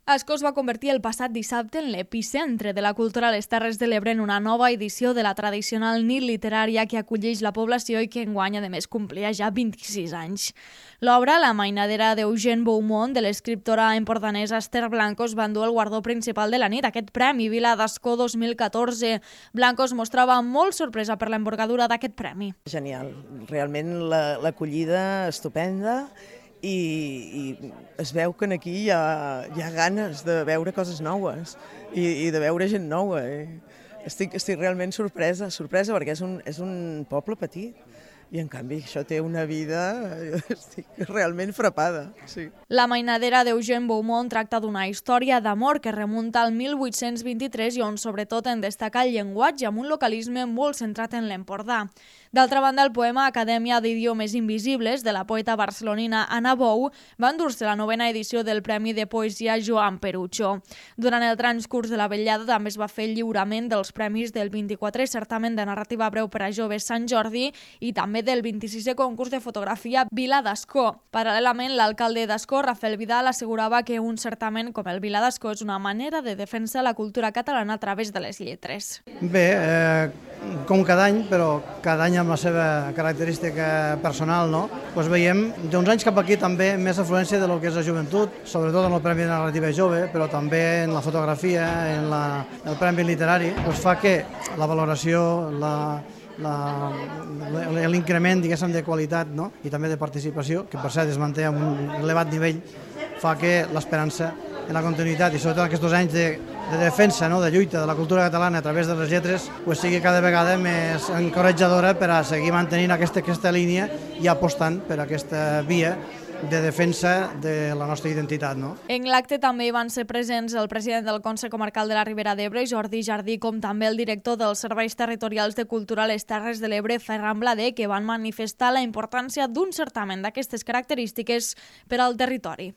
Ascó es va convertir el passat dissabte en l'epicentre de la cultura a les Terres de l'Ebre en una nova edició de la tradicional nit literària que acolleix la població i que enguany, a més, complia ja 26 anys. L'obra, La mainadera d'Eugene Beaumont, de l'escriptora empordanesa Esther Blancos, va endur el guardó principal de la nit, aquest premi Vila d'Ascó 2014. Blancos mostrava molt sorpresa per l'envergadura d'aquest premi. Genial, realment l'acollida estupenda. I es veu que aquí hi ha ganes de veure coses noves i de veure gent nova. Estic realment sorpresa perquè és un poble petit i en canvi això té una vida, estic realment frapada. Sí. La mainadera d'Eugene Beaumont tracta d'una història d'amor que remunta al 1823 i on sobretot en destaca el llenguatge amb un localisme molt centrat en l'Empordà. D'altra banda, el poema Acadèmia d'Idiomes Invisibles, de la poeta barcelonina Anna Bou, va endur-se la 9ª edició del Premi de Poesia Joan Perucho. Durant el transcurs de la vetllada també es va fer el lliurament dels premis del 24è certamen de narrativa breu per a joves Sant Jordi i també del 26è concurs de fotografia Vila d'Ascó. Paral·lelament, l'alcalde d'Ascó, Rafael Vidal, assegurava que un certamen com el Vila d'Ascó és una manera de defensar la cultura catalana a través de les lletres. Bé, com cada any, però cada any amb la seva característica personal, no? Pues veiem d'uns anys cap aquí també més afluència de lo que és la joventut, sobretot en el Premi de Narrativa Jove, però també en la fotografia, en el Premi Literari, pues fa que la valoració, l'increment, diguéssim, de qualitat, no? I també de participació, que per cert es manté amb un elevat nivell, fa que l'esperança en la continuïtat i sobretot aquests 2 anys de defensa, no? De lluita de la cultura catalana a través de les lletres pues sigui cada vegada més encoratjadora per a seguir mantenint aquesta línia i apostant per aquesta via de defensa de la nostra identitat. No? En l'acte també hi van ser presents el president del Consell Comarcal de la Ribera d'Ebre, Jordi Jardí, com també el director dels Serveis Territorials de Cultura a les Terres de l'Ebre, Ferran Blader, que van manifestar la importància d'un certamen d'aquestes característiques per al territori.